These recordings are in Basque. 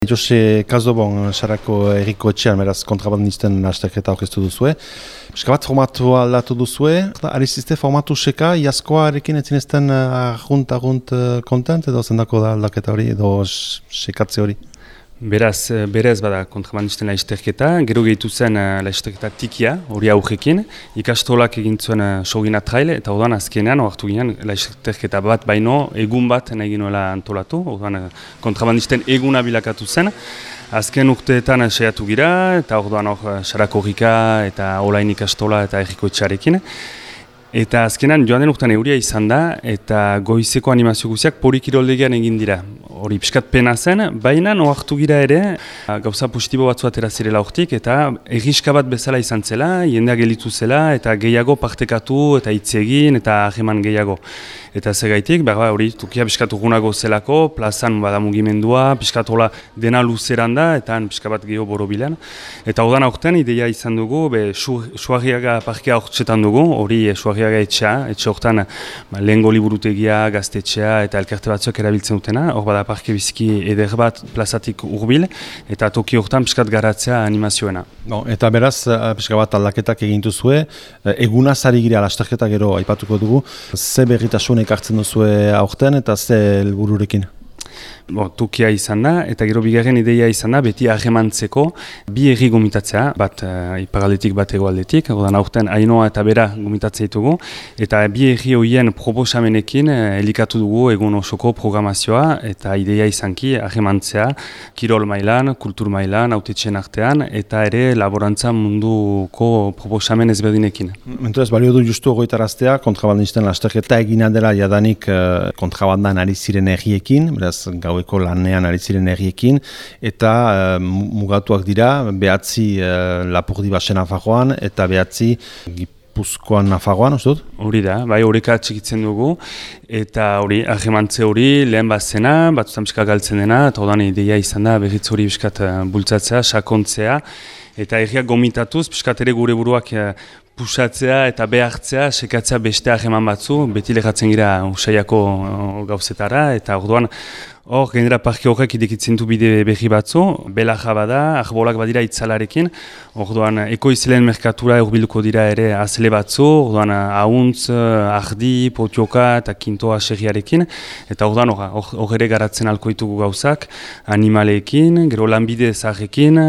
Jose Kazobon, Sarako Eriko Etxean, beraz kontrabandisten azterketa aurkeztu duzue. Eska bat formatu aldatu duzue, arizizte formatu seka, iazkoarekin etzinezten argunt kontent, edo zendako da aldaketa hori, edo sekatze hori? Berez bada kontrabandisten laizterketa, gero gehitu zen laizterketa tikia, hori aurrekin, ikastolak egin zuen sogina trail, eta orduan azkenean, oartu ginen, laizterketa bat baino, egun bat nahi ginoela antolatu, orduan kontrabandisten eguna bilakatu zen. Azken urteetan saiatu gira, eta orduan Sarako Rika, eta Olain ikastola, eta Eriko Etxearekin. Eta azkenan joan den urtean euria izan da, eta goizeko animazio guziak Porikiroldegian egin dira. Hori pixkat pena zen, baina ohartu gira ere, gauza positibo batzu atera zirela hortik, eta erriska bat bezala izan zela, jendea gelitu zela, eta gehiago partekatu, eta hitz egin, eta harreman gehiago. Eta zegaitik, hori tukia pixkat urgunago zelako, plazan bada mugimendua, pixkat hola dena luzeran da, eta pixkat bat gehiago borobilean. Eta ordan aurten ideia izan dugu, Suarriaga parkea hortzetan dugu, hori Suarriaga etxe hortan lehengo liburutegia, gaztetxea, eta elkarte batzuk erabiltzen dutena, hor bada parke biziki eder bat plazatik urbil, eta toki hortan pixkat garatzea animazioena. No, eta beraz, pixka bat aldaketak egintu zue, egunaz ari gira lasterketa gero aipatuko dugu, ze berritasun ekartzen duzue aurten eta ze helbururekin? Tukia izan da, eta gero bigarren ideia izan da, beti harremantzeko bi erri gomitatzea, bat iparaldetik bat egoaldetik, ordan aurten Ainoa eta Bera gomitatzea ditugu, eta bi erri horien proposamenekin elikatu dugu egun osoko programazioa, eta ideia izanki harremantzea, kirol mailan, kultur mailan, autetxen artean, eta ere laborantza munduko proposamen ezberdinekin. Menturaz, balio du justu ogoitaraztea, kontrabandisten lasterketa egina dela jadanik kontrabandan ari ziren erriekin, beraz gaueko lanean ari ziren herriekin, eta mugatuak dira, behatzi Lapurdi Basen Nafarroan, eta behatzi Gipuzkoan Nafarroan, uste dut? Hori da, bai horreka txikitzen dugu, eta hori, ahemantze hori, lehen bat zena, batzutan pixka galtzen dena, eta odan ideia izan da, berriz hori pixkat bultzatzea, sakontzea, eta herriak gomitatuz, pixkat ere gure buruak pusatzea eta behartzea, sekatzea beste aheman batzu, beti lehatzen gira usaiako gauzetara, eta orduan hor, gainera parke horrek idekitzen du bide berri batzu, belaja bada, arbolak badira itzalarekin, orduan ekoizleen merkatura urbiluko dira ere azle batzu, orduan ahuntz, ardi, potioka eta kintoa serriarekin, eta orduan hor ere garatzen alkoitugu gauzak, animaleekin, gero lanbide zaharrekin,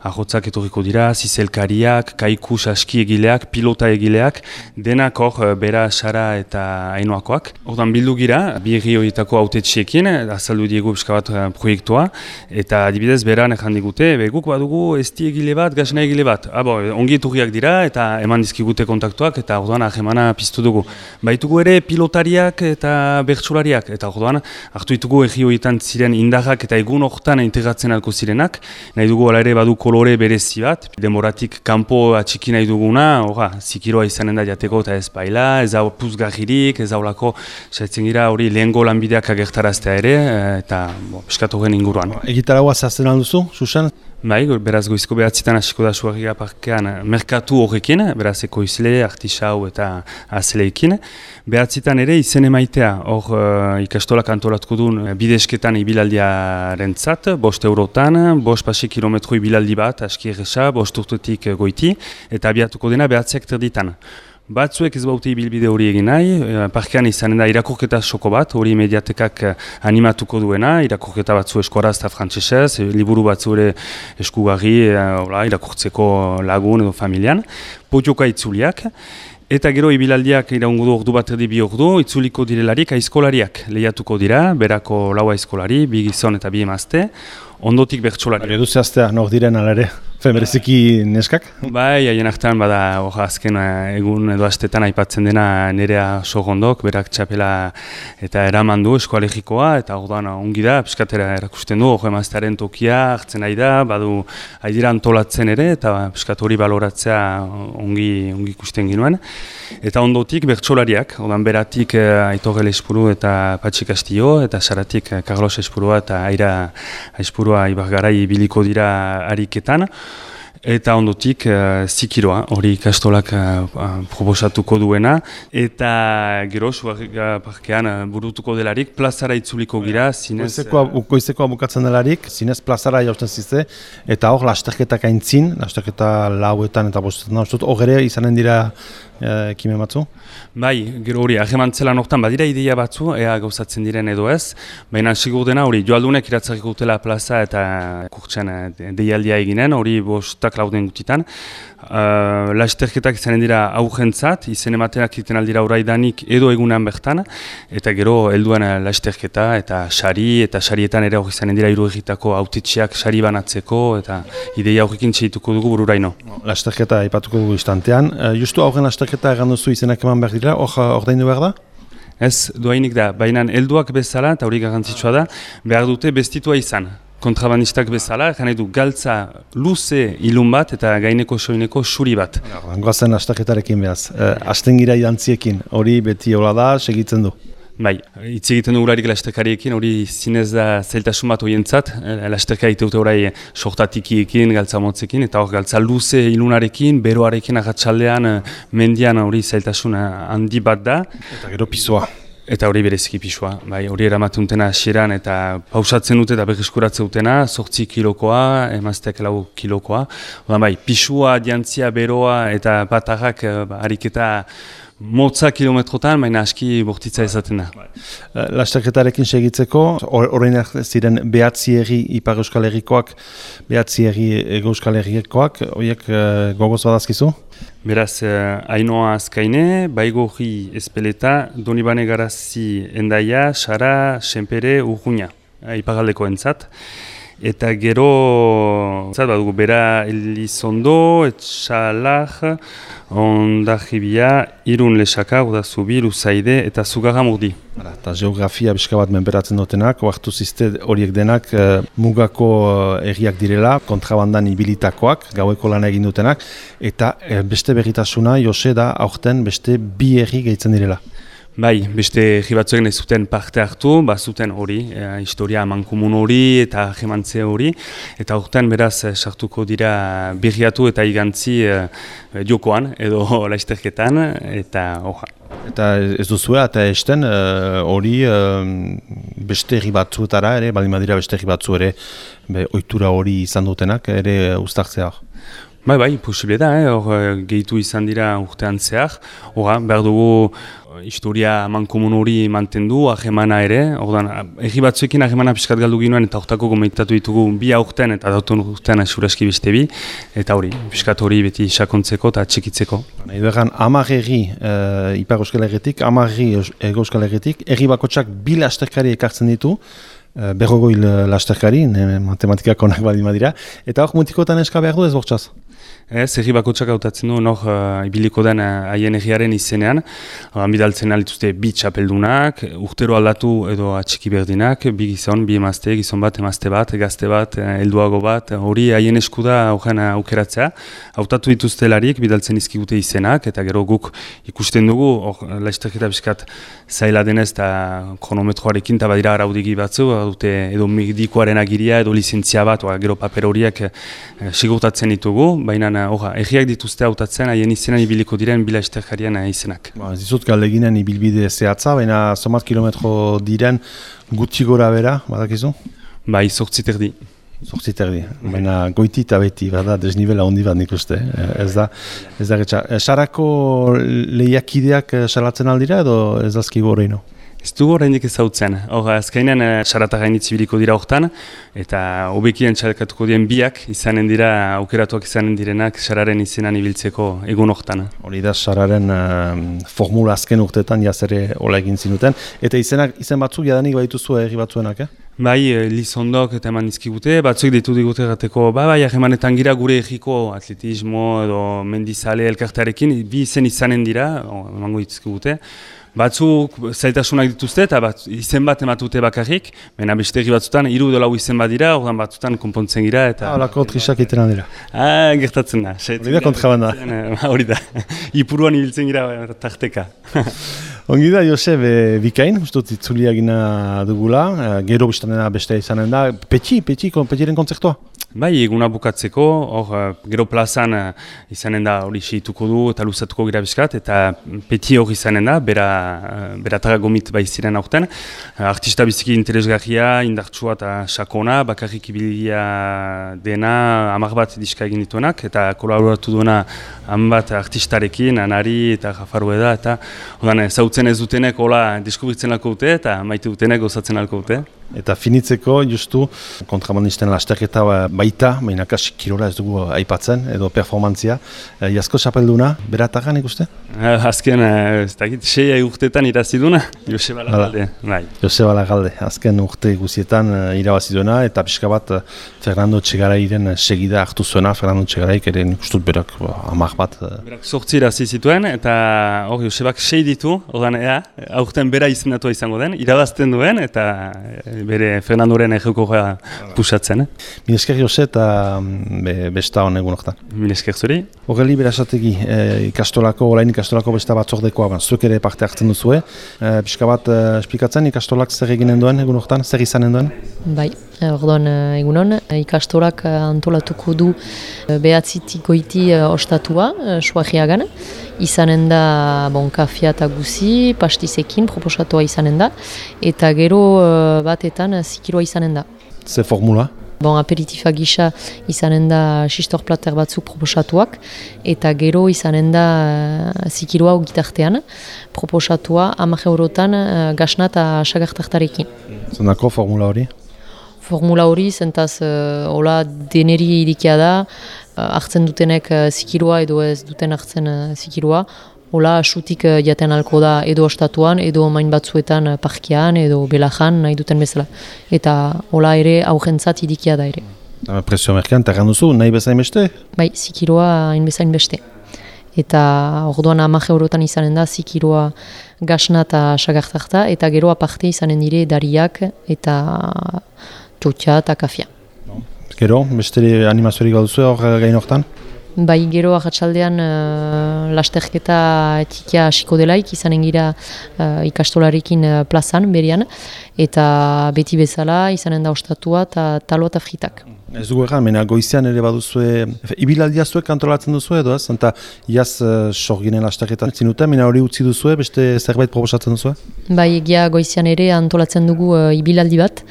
ahotzak etorriko dira, zizelkariak, kaiku saski egileak, pilota egileak, denak hor Bera, Sara eta Ainoakoak. Orduan bildu gira, bi herri horietako autetxeekin, azaldu diegu pixka bat proiektua, eta adibidez Beran ejan digute, guk badugu esti egile bat, gasna egile bat. Ongi eturriak dira, eta eman dizkigute kontaktuak, eta orduan ahemana piztu dugu. Baitugu ere pilotariak eta bertsolariak, eta orduan hartu ditugu herri horietan ziren indarrak eta egun horretan integratzen alko zirenak, nahi dugu ala ere badu kolore berezi bat, demoratik kanpo atxiki nahi duguna, zikiroa izanen da jateko eta ez baila, ez hau puzgarririk, ez haulako saitzen gira hori lehengo lanbideak agertaraztea ere, eta piskatu gen inguruan. Egitaragua zehazten alduzu, Susan? Bai, beraz goizko behatzitan hasiko da Suarriaga parkean merkatu horrekin, beraz ekoizle, artisau eta azleekin. Behatzitan ere izen emaitea, hor ikastolak antolatuko duen bidesketan ibilaldiaren zat, 5 eurotan, 5 kilometro ibilaldi bat, aski erresa, 5 urtetik goiti, eta abiatuko dena behatziak terditan. Batzuek ez baute ibilbide hori egin nahi, parkean izanen da irakurketa soko bat, hori mediatekak animatuko duena, irakurketa batzu eskoraz eta frantsesez, liburu batzu ere eskugarri, irakurtzeko lagun edo familian, potioka itzuliak, eta gero ibilaldiak iraungo du ordu bat erdi 2 ordu, itzuliko direlarik aizkolariak lehiatuko dira, Berako 4 aizkolari, 2 gizon eta 2 emazte, ondotik bertsolariak. Edu zehaztea, nor diren alare? Bereziki neskak? Bai, haien artean bada azken egun edo astetan aipatzen dena Nerea Sogondok, berak txapela eta eraman du eskoalegikoa, eta orduan ongi da, piskatera erakusten du, emaztearen tokia hartzen nahi da, badu haidira antolatzen ere, eta piskat hori baloratzea ongi ikusten ginuen. Eta ondotik bertsolariak, orduan Beratik Aitorrel Espuru eta Patxi Castillo, eta Saratik Carlos Espurua eta Aira Espurua Ibargarai biliko dira ariketan. eta ondotik zikiroa, hori ikastolak proposatuko duena, eta gero Sugarriga parkean burutuko delarik, plazara itzuliko gira, zinez... Goizekoa bukatzen delarik, zinez plazara jausten zizte, eta hor lasterketak aintzin, lasterketa lauetan eta bostetan, hor ere izanen dira ekimen batzu? Bai, gero hori, ahemantzelan hortan badira ideia batzu, ea gauzatzen diren edo ez, baina sigur dena hori, joaldunek iratzarriko dutela plaza eta kurtsen deialdia eginen, hori bostak lauden gutitan. Lasterketak izanen dira aurrentzat, izen ematenak egiten aldira uraidanik edo egunean bertan, eta gero helduen lasterketa eta sarietan ere hori izanen dira hiru egitako autetxeak sari banatzeko, eta ideia horrekin txeituko dugu bururaino. Lasterketa aipatuko dugu istantean, justu aurren lasterketa egan duzu izenak eman behar dira, ordaindu behar da? Ez, doainik da, baina helduak bezala, eta hori garrantzitsua da, behar dute bestitua izan. Kontrabandistak bezala, nahi du galtza luze ilun bat eta gaineko soineko suri bat. Goazen lasterketarekin behaz, hasten gira idantziekin, hori beti hola da, segitzen du. Bai, hitz egiten du urarik lasterkariekin, hori zinez da zailtasun bat horientzat, lasterka iteute orai sortatikiekin, galtza motzekin, eta hor galtza luze ilunarekin, beroarekin agatxaldean, mendian hori zailtasun handi bat da. Eta gero pisua. Eta hori bereziki pisua, bai, hori eramatunetena hasieran eta pausatzen dute eta berreskuratzen dutena, 8 kilokoa, emazteak 4 kilokoa. Bai, pisua, diantzia, beroa eta batarrak ariketa motza kilometrotan, baina aski bortitza ezaten da. Lasterketarekin segitzeko, orain ziren behatzi herri Ipar Euskal Herrikoak, behatzi herri Ego Euskal Herrikoak, horiek gogoz badazkizu? Beraz, Ainoa Azkaine, Baigorri Espeleta, Donibane Garazi Endaia, Sara, Senpere, Urruña, Iparraldeko entzat. Eta gero, badugu, Bera Elizondo, Etxalar, Ondarribia, Irun Lexaka, Urdazubi, Luzaide eta Zugarramurdi. Eta geografia bizka bat menperatzen dutenak, oartu zizte horiek denak mugako herriak direla, kontrabandan ibilitakoak, gaueko lan egin dutenak, eta beste berritasuna, Jose da, aurten beste bi herri gehitzen direla. Bai, beste herri batzuek nahi zuten parte hartu, zuten hori, historia amankomun hori eta jemantze hori, eta urtean beraz sartuko dira berriatu eta igantzi jokoan edo lasterketan, eta hoja. Eta ez duzue, eta esten hori beste herri batzuetara ere, baldin badira beste herri batzu ere, ohitura hori izan dutenak ere uztartzea. Bai, posible da, hor gehitu izan dira urtean zehar, behar dugu historia mankomun hori mantendu, ahemana ere, herri batzuekin ahemana pixkat galdu ginoen eta hortako gomentatu ditugu bi aurten eta dauten urtean asuraski beste bi, eta hori, pixkat hori beti sakontzeko eta txikitzeko. Nahi duegan, 10 herri Ipar Euskal Herritik, 10 herri Ego Euskal Herritik, herri bakotsak bi lasterkari ekartzen ditu, berrogoi lasterkari, matematikak onak baldin badira, eta hor mutikotan eska behar du ez bortxaz? Ez, herri bakotsak hautatzen du, nor ibiliko den haien herriaren izenean. Bidaltzen alituzte bi txapeldunak, urtero aldatu edo atxiki berdinak, bi gizon, bi emazte, gizon bat, emazte bat, gazte bat, helduago bat, hori haien eskuda horren aukeratzea. Hautatu dituztelarik, bidaltzen izkigute izenak, eta gero guk ikusten dugu, lasterketa bizkat zaila denez eta kronometroarekin, eta badira araudigi batzu, dute edo medikoaren agiria, edo lizentzia bat, gero paper horiek sigurtatzen ditugu, baina herriak dituzte hautatzen, haien izenan ibiliko diren bila lasterkarian izenak. Ez dizut galdeginen ibilbide zehatza, baina zomat kilometro diren gutxi gora bera, badakizu? Bai, 8 terdi. 8 terdi, baina goiti eta beti, bada, desnibela handi bat nik uste. Ez da getxa. Sarako lehiakideak salatzen aldira edo ez dazkigu horreino? Ez dugu horreindik ezautzen. Azkainen sarata gainitz ibiliko dira hortan, eta hobekien txalkatuko dien biak izanen dira, aukeratuak izanen direnak sararen izenan ibiltzeko egun hortan. Hori da sararen formula azken urteetan jazere hola egin zinuten. Eta izen batzuk jadanik badituzu herri batzuenak, Bai, Lizondok eta eman dizkigute, batzuk ditu digute gateko, bai, ahemanetan gira gure egiko atletismo edo mendizale elkartearekin, bi izen izanen dira, emango dizkigute. Batzuk zailtasunak dituzte eta izen bat ematute bakarrik, baina beste herri batzutan 3 edo 4 izen bat dira, ordan batzutan konpontzen gira eta... Horako trisak iteran dira. Gertatzen da. Hori da kontrabanda. Hori da. Ipuruan ibiltzen gira tarteka. Ongi da, Jose, bikain, ustut itzulia gina dugula, gero biztanena beste izanen da, petiren kontzertua? Bai, eguna bukatzeko, hor gero plazan izanen da hori seituko du eta luzatuko gira bizkat, eta peti hor izanen da, beratara gomit bai ziren aurten. Artista biziki interesgarria, indartsua eta sakona, bakarrik ibilia dena, 10 bat diska egin dituenak, eta kolaboratu duena 10 bat artistarekin, Anari eta Jafarueda, eta zautzen ez dutenek hola deskubritzen alko dute, eta maite dutenek gozatzen alko dute. Eta finitzeko, justu, kontrabandisten lasterketa baita, mainaka kirola ez dugu aipatzen, edo performantzia. Jasko txapelduna, beratagan ikuste? Azken, ez dakit, 6 urteetan iraziduna, Joseba Lagalde. Bai. Joseba Lagalde, azken urte guzietan irabaziduena, eta pixka bat Fernando Txegarairen segida hartu zuena, Fernando Txegaraik ere ikustut berak 10 bat. Berak 8 irazi zituen, eta hor Josebak 6 ditu, ordan aurten bera izendatua izango den, irabazten duen, eta bere Fernandoren ejekoa pusatzen. Mil esker Jose eta besta hon egun hortan. Mil esker zuri. Horreli berasategi orain ikastolako besta batzordekoa, zuek ere parte hartzen duzue. Pixka bat esplikatzen ikastolak zer eginen duen egun hortan, zer izanen duen? Bai, orduan egunon, ikastolak antolatuko du 9 goiti ostatua, Suajiagan. Izanen da kafia eta guzi, pastizekin proposatua izanen da, eta gero batetan zikiroa izanen da. Ze formula? Aperitifa gisa izanen da xistor plater batzuk proposatuak, eta gero izanen da zikiroa gitartean, proposatua 10 eurotan gasna eta sagartartarekin. Zendako formula hori? Formula hori, zentaz hola deneri irikia da, hartzen dutenek zikiroa edo ez duten hartzen zikiroa, hola sutik jaten alko da edo ostatuan, edo main batzuetan parkian, edo belajan nahi duten bezala. Eta hola ere aurrentzat irikia da ere. Presio merkean, terran duzu, nahi bezain beste? Bai, zikiroa hain bezain beste. Eta orduan 10 eurotan izanen da zikiroa gasna eta sagartarta, eta gero aparte izanen dire dariak eta txotxa eta kafia. Gero, beste animaziorik baduzu hor gain hortan? Bai, gero ahatsaldean lasterketa txikia hasiko delaik, izanen gira ikastolarekin plazan, berian, eta beti bezala izanen da ostatua eta talo eta fritak. Ez dugu egan, mena goizean ere baduzue, ibilaldia zuek antolatzen duzue edo ez? Eta iaz sorginen lasterketa zinuten, mena hori utzi duzue, beste zerbait proposatzen duzue? Bai, egia goizean ere antolatzen dugu ibilaldi bat,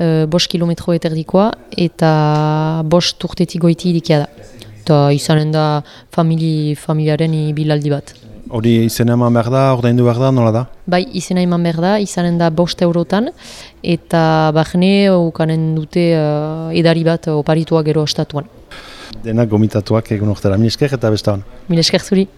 5 kilometro eterdikoa, eta 5 urtetik goiti irikia da. Eta izanen da familiaren ibilaldi bat. Hori izena eman behar da, ordaindu behar da, nola da? Bai, izena eman behar da, izanen da 5 eurotan, eta bahne ukanen dute edari bat oparitua gero ostatuan. Denak gomitatuak egun ortera. Mil esker eta besta hon. Mil esker zuri.